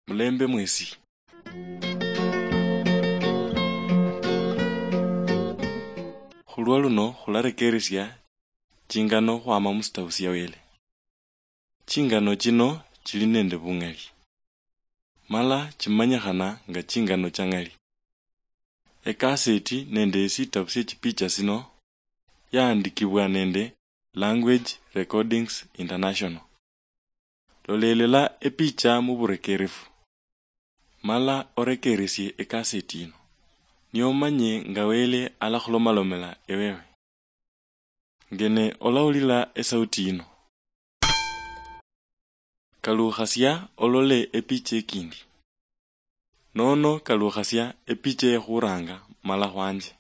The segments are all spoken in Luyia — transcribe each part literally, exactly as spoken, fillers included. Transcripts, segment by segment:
Mulembe mwesi. Khulwa luno khularekeresia chingano khwama musitabu sia Wele. Chingano chino chili nende bung'ali, mala chimanyikhana nga chingano cha ng'ali. Ekaseti nende esitabu sie chipicha sino yaandikibwa nende Language Recordings International. Lolelela epicha muburekerefu, mala orekeresie ekaseti yino, niomanye nga Wele alakhulomalomela ewewe. Ngene olawulila esauti yino. Kalukhasia olole epicha ekindi. Nono kalukhasia epicha ekhuranga mala khwanje.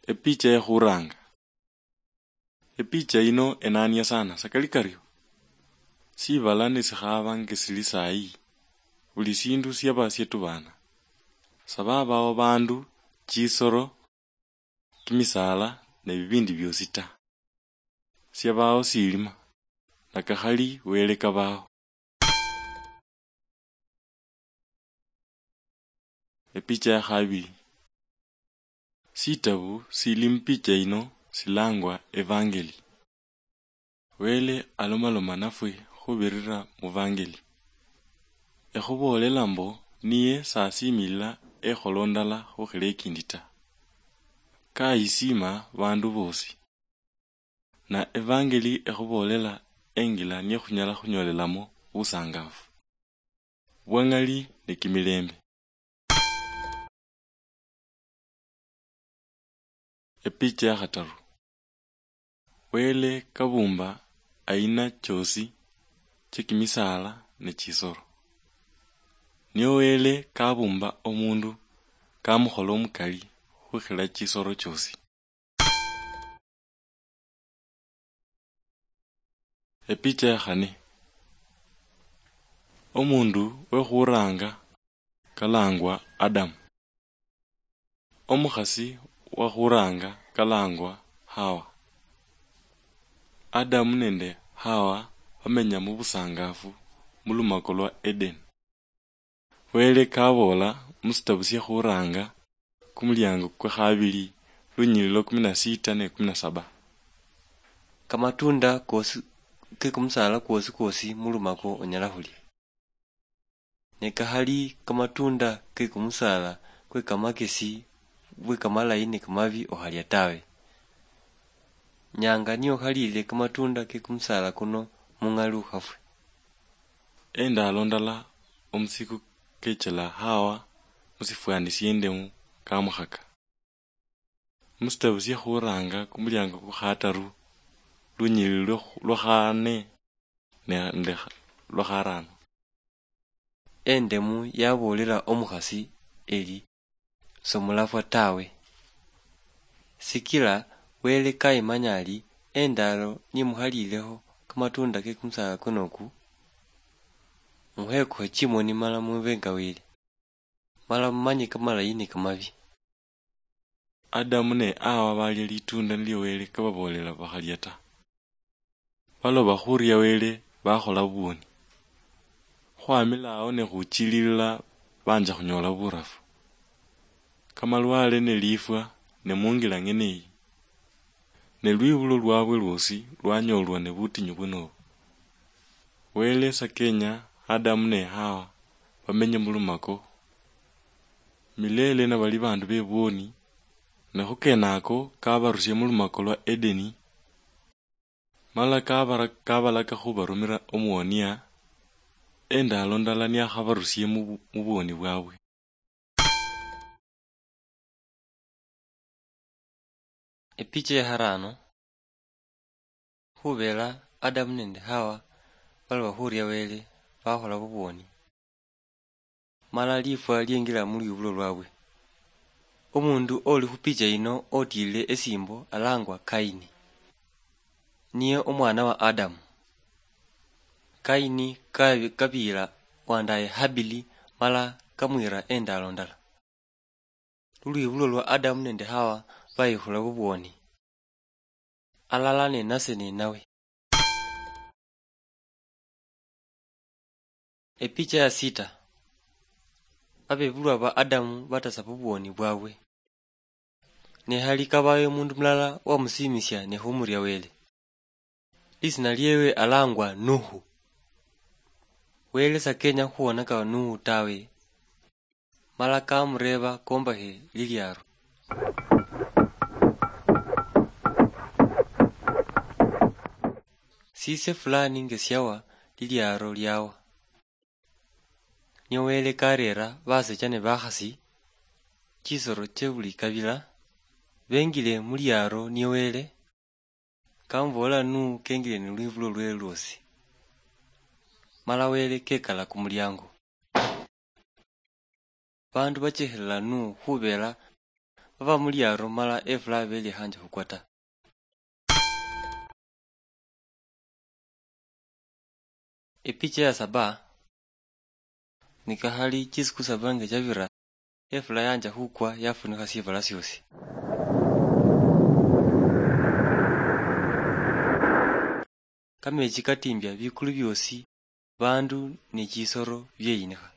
Epicha ekhuranga. Epicha yino enania sana, sakali kario? Sibala nesikhaba ngesili sayi, buli sindu siaba sietubana. Sababawo bandu, chisoro, kimisaala ne bibindi biosi ta. Siabawo silima, nakakhali Wele kabawo. Epicha ya khabili. Sitabu sili mupicha yino silangwa Evangeli. Wele alomaloma nafwe khubirira muvangeli. Ekhuboolela mbo niye sasimilila ekholo ndala khukhila ekindi ta. Kayisima bandu bosi. Na evangeli ekhuboolela engila niye khunyala khunyolelamo busangafu, bwang'ali ne kimilembe. Epicha ya khataru. Wele kabumba aina choosi cha kimisaala ne chisolo. Nio Wele kabumba omundu kamukhola omukali khukhila chisolo choosi. Epicha ya khane. Omundu wekhuranga kalangwa Adamu. Omukhasi wakhuranga kalangwa Hawa. Adamu nende Hawa bamenya mubusangafu mulumako lwa Edeni. Wele kaboola musitabu sia khuranga kumuliango kwa khabili lunyililo kumi na sita ne kumi na saba. Kamatunda kosi ke kumusala kwosi kwosi mulumako onyala khulia. Ne kakhali kamatunda ke kumusala kwe kamakesi bwe kamalayi ne kamabi okhalia tawe. Nyanga niyo okhalile kamatunda ke kumusala kuno mung'ali ukhafwe. Endalo ndala omusiku kechela Hawa musifwani siendemu kamukhaka. Musitabu sia khuranga kumuliango kwa khataru lunyilili lwa, lwa khane ne, nde lwa kharano. Endemu yaboolela omukhasi eli, "Somulafwa tawe, sikila Wele kayimanya ali endalo nimukhaliilekho kamatunda ke kumusala kuno oku, mukhekukhe chimoni mala mube nga Wele, mala mumanye kamalayi ne kamabi." Adamu ne Hawa balia litunda nilio Wele kababoolela bakhalia ta. Baloba khuria Wele bakhola bubwoni. Khwamila awo ne khuchililila banja khunyola burafu. Kamalwale ne lifwa ne mungila ng'ene eyi. Ne lwibulo lwabwe lwosi lwanyolwa ne butinyu bwenobo. Wele sakenya Adamu ne Hawa bamenye mulumako milele nabali bandu bebwoni, ne khukenako kabarusie mulumako lwa Edeni, mala kabara-, kabalaka khubarumira omuwonia, endalo ndala niakhabarusie mu bu-, mubwoni bwabwe. Epicha ya kharano. Khubela Adamu nende Hawa baloba khuria Wele bakhola bubwoni, mala lifwa liengila mulwibulo lwabwe. Omundu oli khupicha yino otilile esimbo alangwa Kaini, niye omwana wa Adamu. Kaini kabi-, kabiila wandaye Habili mala kamwira endalo ndala. Lulwibulo lwa Adamu nende Hawa bayihula bubwoni, alala ninase ninawe. Epicha ya sita. Abebulwa ba Adamu batasa bubwoni bwabwe. Ne hali kabayo omundu mulala wamusiimisia ne khumuria Wele. Lisina liewe alangwa Nuhu. Wele sakenya khuwonaka Nuhu tawe, mala kamureeba kombakhe liliaro. Sise fulani ngesiawa liliaro liawa. Nio Wele kareera basecha ne bakhasi, chisoro che buli kabila, bengile mu liaro nie Wele, kamubool'la nu kengile ni lwibulo lwe lwosi. Mala Wele kekala kumuliango. Bandu bachekhelela nu khubela baba mu liaro mala efula belikhanje khukwa ta. Epicha ya saba. Nikakhali chisiku saba nga chabira, efula yanja khukwa yafunikha sibala siosi. Kamechi katimbia bikulu biosi, bandu ne chisoro bieyinikha.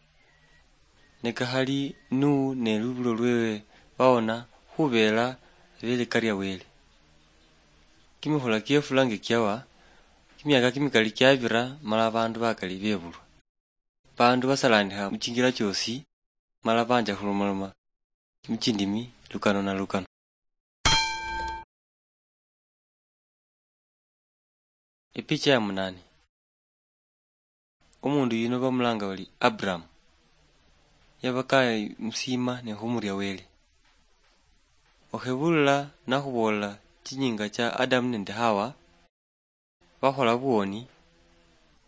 Nikakhali nu ne lubulo lwewe bawona khubela belekaria Wele. Kimikhula kiefula nga kiawa, kimiaka kimikali kiabira mala bandu bakali bebulwa. Bandu basalanikha mu chingira chiosi, mala banja khulomaloma mu chindimi lukano na lukano. Epicha ya munane. Omundu yuno bamulanga bari Abraham. Yabakaya musiima ne khumuria Wele. Okhebulila nakhubool'la chinyinga cha Adamu nende Hawa, bakhola buwoni,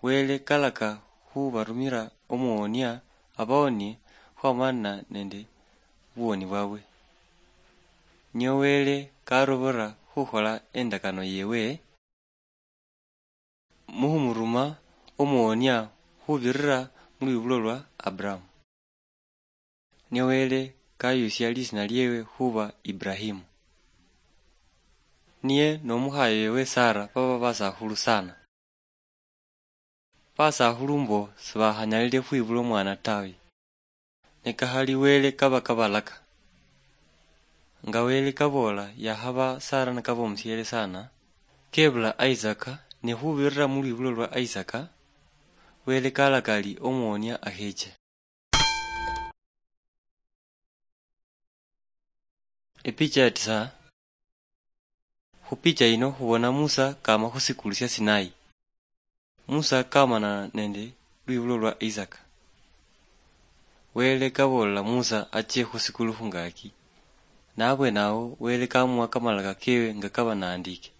Wele kalaka khubarumira omuwonia abawonie khwamana nende buwoni bwabwe. Nio Wele karobora khukhola endakano yewe, mukhumuruma omuwonia khubirira mulwibulo lwa Abraham. Ne Wele kayusia lisina liewe khuba Ibrahimu. Niye nomukhaye wewe Sara baba basakhulu sana. Basakhulu mbo sibakhanyalile khwibula omwana tawe. Ne kakhali Wele kaba kabalaka. Nga Wele kaboola yakhaba Sara nikaba omusiele sana, kebula Isaka, ne khubirira mulwibulo lwa Isaka, Wele kalaka ari omuwonia akheche. Epicha ya tisa. Khupicha yino khubona Musa kama khusikulu sia Sinai. Musa kamanana nende lwibulo lwa Isaka. Wele kaboolela Musa achie khusikulu khungaki. Nabwenawo Wele kamuwa kamalaka kewe nga kaba naandike.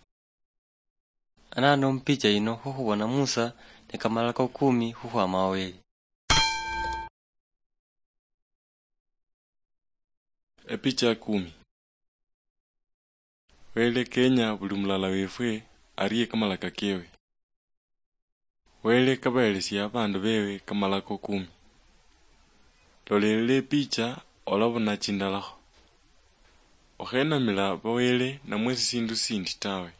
Anano mupicha yino khukhubona Musa ne kamalako kumi khukhwama wa Wele. Epicha ya kumi. Wele kenya buli mulala wefwe arie kamalaka kewe. Wele kabahelesia abandu bewe kamalako kumi. Lolelela epicha olabona chindalakho. Okhenamila bawele namwe sisindu sindi tawe.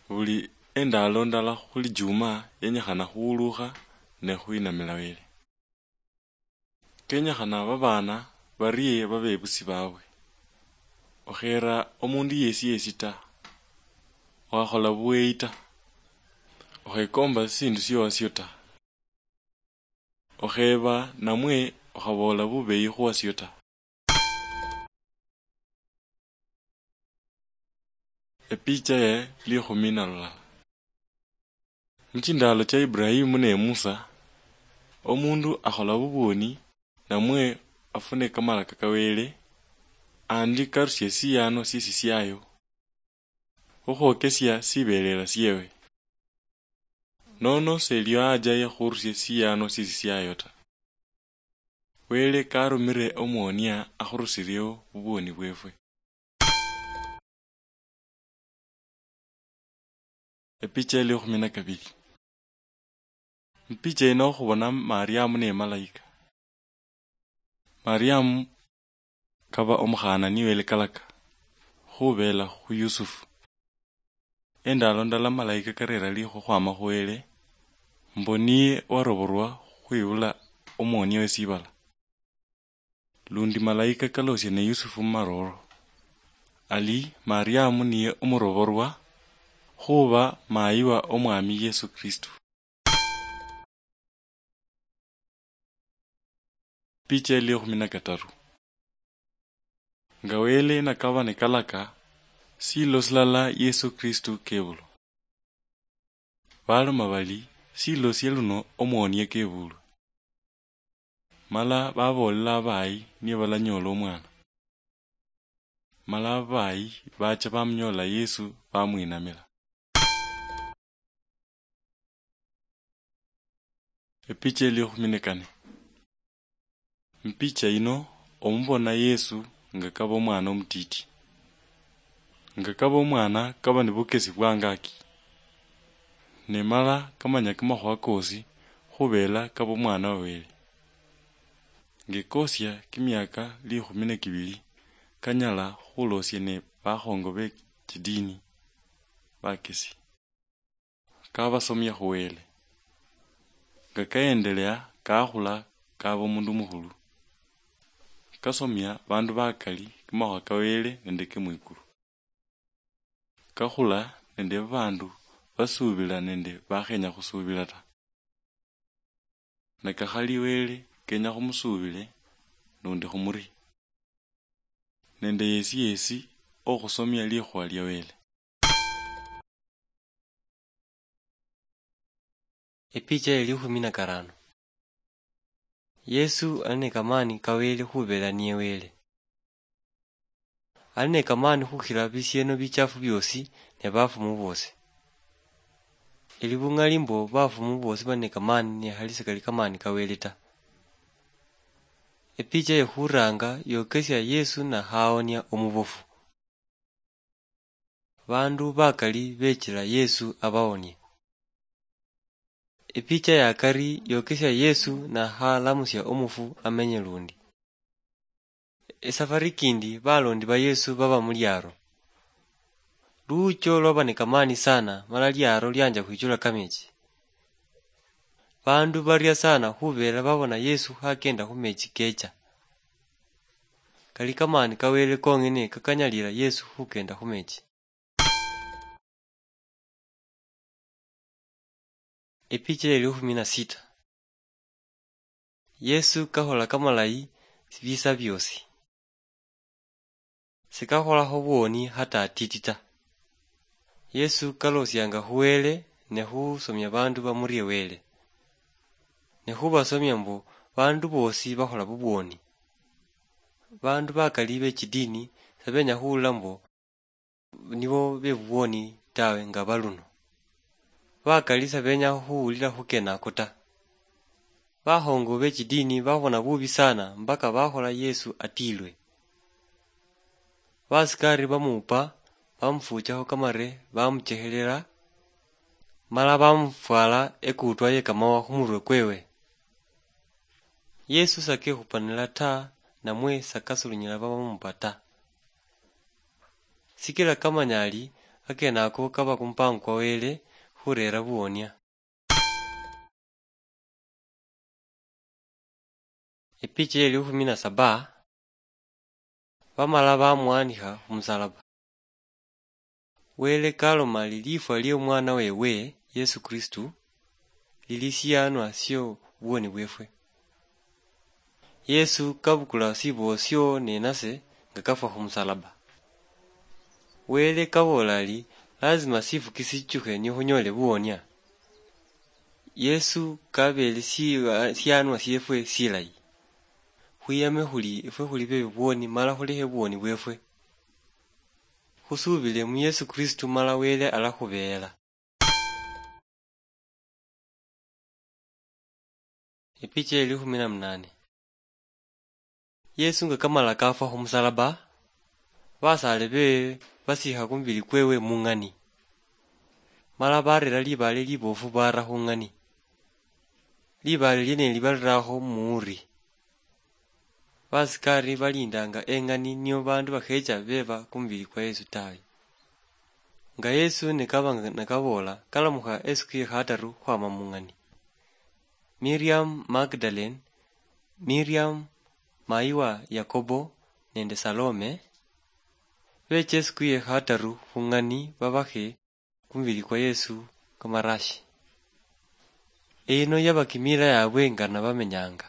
Buli endalo ndala khuli juma yenyikhana khuwulukha ne khwinamila Wele. Kenyikhana babaana barie babebusi babwe. Okhera omundu yesi yesi ta. Okhakhola buweyi ta. Okhekomba sisindu siowasio ta. Okheba namwe okhaboola bubeyi khuwasio ta. Epicha ye likhumi na lulala. Muchindalo cha Ibrahimu ne Musa, omundu akhola bubwoni namwe afune kamalaka ka Wele, andi karusie siyaano siesi siayo, khukhwokesia sibelela siewe. Nono selio aja yakhurusie siyaano siesi siayo ta. Wele karumire omuwonia akhurusiriewo bubwoni bwefwe. Epicha ya likhumi na kabili. Mupicha yino khubona Mariamu ne malaika. Mariamu kaba omukhana niwelekalaka, khubeela khu Yusufu. Endaalo ndala malayika kareera liikho khwama khu Wele, mbu niye waroborwa khwibula omwonia we sibala. Lundi malayika kalosia ne Yusufu mu marooro, ali Mariamu niye omuroborwa, khuba mayi wa Omwami Yesu Kristu. Picha ya likhumi na kataru. Nga Wele nakaba nikalaka, silo silala Yesu Kristu kebulwa. Baloma bali, silosie luno omwonie kebulwe. Mala baboolela abayi niye balanyoola omwana. Mala abayi baacha bamunyoola Yesu bamwinamila. Epicha elikhumi ne kane. Mpicha yino omubona Yesu nga kaba omwana omutiti. Nga kaba omwana kaba ni bukesi bwangaki. Ne mala kamanya kamakhuwa kosi khubela kaba omwana wa Wele. Ngekosia kimiaka likhumi ne kibili kanyala khulosia ne bakhongo be chidini bakesi. Kabasomia khu Wele. Nga kaendelea kakhula kaba omundu mukhulu. Kasomia bandu bakali kamakhuwa ka Wele nende ke mwikulu. Kakhula nende babandu basuubila nende bakhenya khusuubila ta. Ne kakhali Wele kenya khumusuubile nundi khumurie. Nende yesi yesi okhusomia likhuwa lia Wele. Epicha ye likhumi na karano. Yesu ali ne kamani ka Wele khubela niye Wele. Ali ne kamani khukhila bisieno bichafu biosi ne bafumu bosi. Eli bung'ali mbo bafumu bosi bali ne kamani ne khali sikali kamani ka Wele ta. Epicha ye khuranga yokesia Yesu nakhaonia omubofu. Bandu bakali bechila Yesu abaonie. Epicha ya kari yokesia Yesu nakhalamusia omufu amenye lundi. Esafari kindi balondi ba Yesu baba mu liaro. Luucho lwaba ne kamani sana mala liaro lianja khwichula kamechi. Bandu baria sana khubela babona Yesu khakenda khu mechi kecha. Kali kamani ka Wele kong'ene kakanyalila Yesu khukenda khu mechi. Epicha ye likhumi na sita. Yesu kakhola kamalayi bisa biosi. Sikakholakho bwoni hata atiti ta. Yesu kalosianga khu Wele ne khusomia bandu bamurie Wele. Ne khubasomia mbu bandu bosi bakhola bubwoni. Bandu bakali be chidini sebenya khuwulila mbu nibo be bubwoni tawe nga baluno. Bakali sebenya khuwulila khukena ako ta. Bakhongo be chidini babona bubi sana mpaka bakhola Yesu atilwe. Basikari bamupa, bamufuchakho kamare, bamuchekhelela, mala bamufwala ekutwa ye kamawa khumurwe kwewe. Yesu sakekhupanila ta, namwe sakasulunyila babamupa ta. Sikila kamanya ali, akenako kaba kumupango kwa Wele khurera buwonia. Epicha ye likhumi na saba, bamala bamuwanikha khumusalaba. Wele kaloma ali lifwa lie omwana wewe, Yesu Kristu, lili siyanwa sio buwoni bwefwe. Yesu kabukula sibuwo sio nenase nga kafwa khumusalaba. Wele kaboola ali, lazima sifuki sichukhe nikhunyoole buwonia. Yesu kabeele si-, siyanwa siefwe silayi. Khwiyame khuli efwe khuli be bubwoni mala khulekhe bubwoni bwefwe. Khusuubile mu Yesu Kristu mala Wele alakhubeela. Epicha ye likhumi na munane. Yesu nga kamala kafwa khumusalaba, basaale bewe basiikha kumubili kwewe mung'ani, mala barera libaale libofu bara khung'ani. Libaale lieneli barirakho muuri. Basikari balindanga eng'ani nio bandu bakhecha beba kumubili kwa Yesu tawe. Nga Yesu nikaba nga nakaboola, kalamukha esiku ye khataru khwama mung'ani. Miriam Magdalene, Miriam mayi wa Yakobo nende Salome, becha esiku ye khataru khung'ani babakhe kumubili kwa Yesu kamarashi. Eyino yaba kimila yabwe nga nabamenyanga.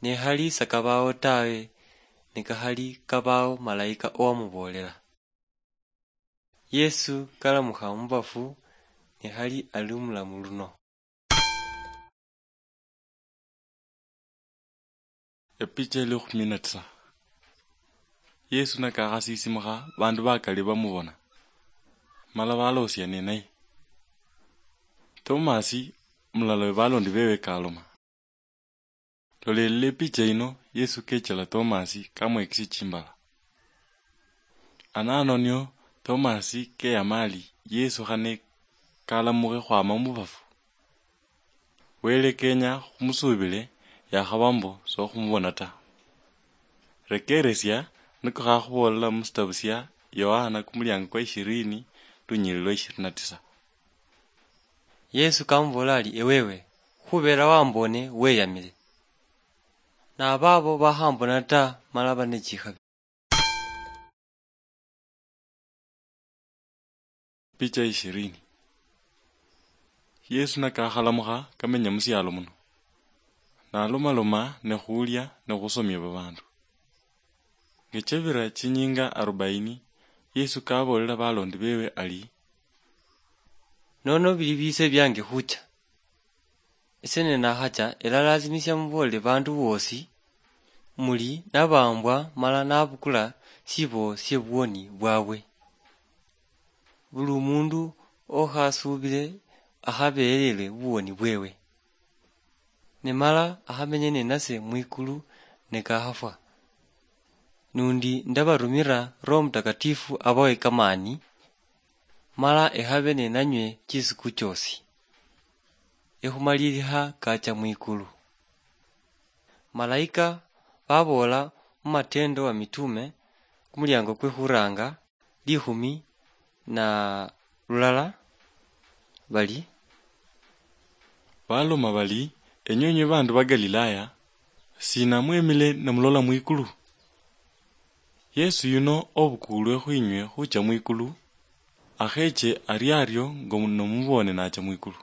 Ne khali sakabao tawe, nikakhali kabao malaika owamuboolela. Yesu kalamukha mubafu, ne khali ali omulamu luno. Epicha eli khumi na tisa. Yesu nakakhasisimukha, bandu bakali bamubona, mala balosia ninaye. Tomasi, mulala we balondi bewe, kaloma. Lolelele epicha yino, Yesu kechela Tomasi, kamwekisia chimbala. Anano nio Tomasi keyama ali, Yesu khane kalamukhe khwama mubafu. Wele kenya khumusuubile, yakhaba mbo sokhumubona ta. Rekeresia niko khakhubolela musitabu sia Yohana kumuliango kwa ishirini, lunyili lwa ishirini na tisa. Yesu kamubolela ali, "Ewewe, khubela wambone weyamile. Nababo bakhambona ta, mala bane chikhabi." Picha ishirini. Yesu nakakhalamukha kamenya musialo muno, nalomaloma ne khulia ne khusomia babandu. Ngechebira chinyinga arobaini, Yesu kabolela balondi bewe ali, "Nono bili bise biange khucha. Ese nenakhacha, elalasimisia mubolele bandu bosi, muli nabambwa mala nabukula sibo sie buwoni bwabwe. Buli omundu okhasuubile akhabeelelwe buwoni bwewe. Ne mala akhamenye ninase mwikulu nikakhafwa. Nundi ndabarumira Roho Mutakatifu abawe kamani, mala ekhabe ninanywe chisiku chiosi, ekhumalilikha kacha mwikulu." Malaika baboola mu Matendo wa Mitume, kumuliango kwe khuranga, likhumi na lulala, bali, baloma bali, "Enywe, enywe bandu ba Galilaya, sina mwemile ne mulola mwikulu? Yesu yuno obukulwe khwinywe khucha mwikulu, akheche ari ario ngo nomubone nacha mwikulu."